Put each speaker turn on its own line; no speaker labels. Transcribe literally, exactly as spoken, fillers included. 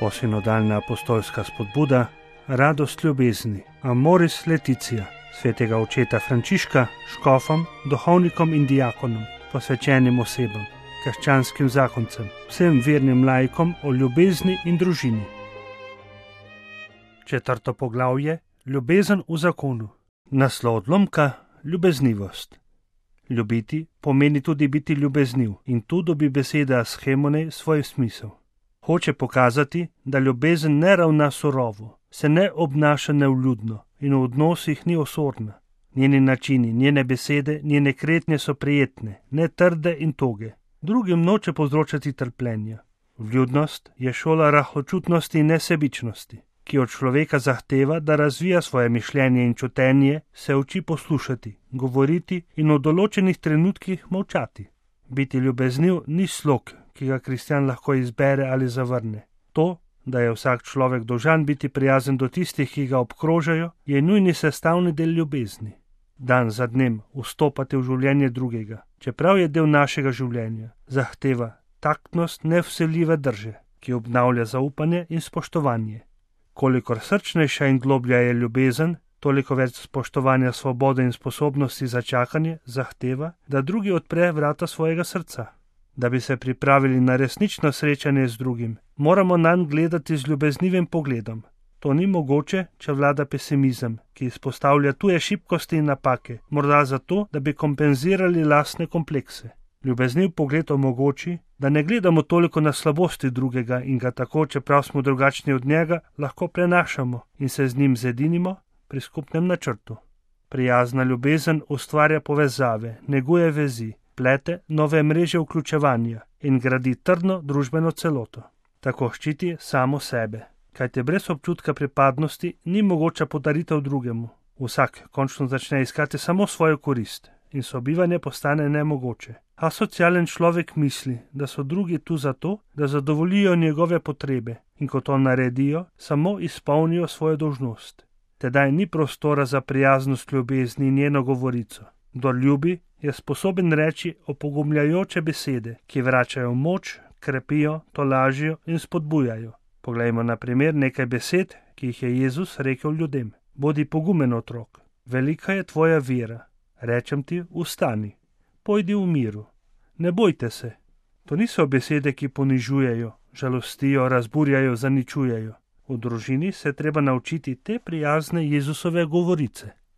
Novosinodalna apostolska spodbuda, radost ljubezni, Amoris Laetitia, svetega očeta Frančiška, škofom, duhovnikom in diakonom, posvečenim osebam, krščanskim zakoncem, vsem vernim laikom o ljubezni in družini. Četrto poglavje, ljubezen v zakonu. Naslov odlomka, ljubeznivost. Ljubiti pomeni tudi biti ljubezniv in tu dobi beseda schemone svoj smisel. Hoče pokazati, da ljubezen ne ravna surovo, se ne obnaša nevljudno in v odnosih ni osorna. Njeni načini, njene besede, njene kretnje so prijetne, ne trde in toge. Drugim noče povzročati trpljenja. Vljudnost je šola rahločutnosti in nesebičnosti, ki od človeka zahteva, da razvija svoje mišljenje in čutenje, se uči poslušati, govoriti in v določenih trenutkih molčati. Biti ljubezniv ni slog, ki ga kristjan lahko izbere ali zavrne. To, da je vsak človek dolžan biti prijazen do tistih, ki ga obkrožajo, je nujni sestavni del ljubezni. Dan za dnem vstopate v življenje drugega, čeprav je del našega življenja, zahteva taktnost nevsiljive drže, ki obnavlja zaupanje in spoštovanje. Kolikor srčnejša in globlja je ljubezen, toliko več spoštovanja svobode in sposobnosti za čakanje zahteva, da drugi odpre vrata svojega srca. Da bi se pripravili na resnično srečanje z drugim, moramo nanj gledati z ljubeznivim pogledom. To ni mogoče, če vlada pesimizem, ki izpostavlja tuje šibkosti in napake, morda zato, da bi kompenzirali lastne komplekse. Ljubezniv pogled omogoči, da ne gledamo toliko na slabosti drugega in ga tako, čeprav smo drugačni od njega, lahko prenašamo in se z njim zedinimo pri skupnem načrtu. Prijazna ljubezen ustvarja povezave, neguje vezi, plete nove mreže vključevanja in gradi trdno družbeno celoto. Tako ščiti samo sebe, kajte brez občutka pripadnosti ni mogoča podaritev drugemu. Vsak končno začne iskati samo svojo korist in sobivanje postane nemogoče. A socialen človek misli, da so drugi tu zato, da zadovoljijo njegove potrebe in ko to naredijo, samo izpolnijo svojo dolžnost. Tedaj ni prostora za prijaznost ljubezni in njeno govorico. Kdor ljubi, je sposoben reči opogumljajoče besede, ki vračajo moč, krepijo, tolažijo in spodbujajo. Poglejmo na primer nekaj besed, ki jih je Jezus rekel ljudem. Bodi pogumen otrok, velika je tvoja vera. Rečem ti, vstani, pojdi v miru, ne bojte se. To niso besede, ki ponižujejo, žalostijo, razburjajo, zaničujejo. V družini se treba naučiti te prijazne Jezusove govorice.